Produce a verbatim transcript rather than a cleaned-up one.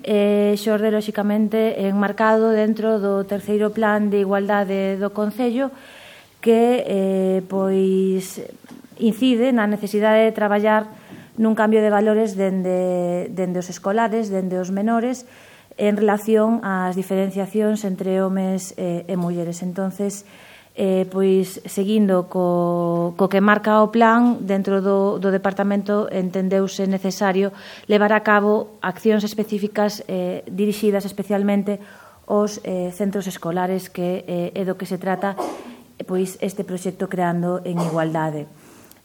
e xorde, lóxicamente, enmarcado dentro do terceiro plan de igualdade do Concello, que eh, pois incide na necesidade de traballar nun cambio de valores dende, dende os escolares, dende os menores, en relación ás diferenciacións entre homes e, e mulleres. Entonces, eh, pois, seguindo co, co que marca o plan, dentro do, do Departamento entendeuse necesario levar a cabo accións específicas eh, dirixidas especialmente aos eh, centros escolares, que eh, é do que se trata pois este proxecto Creando en Igualdade.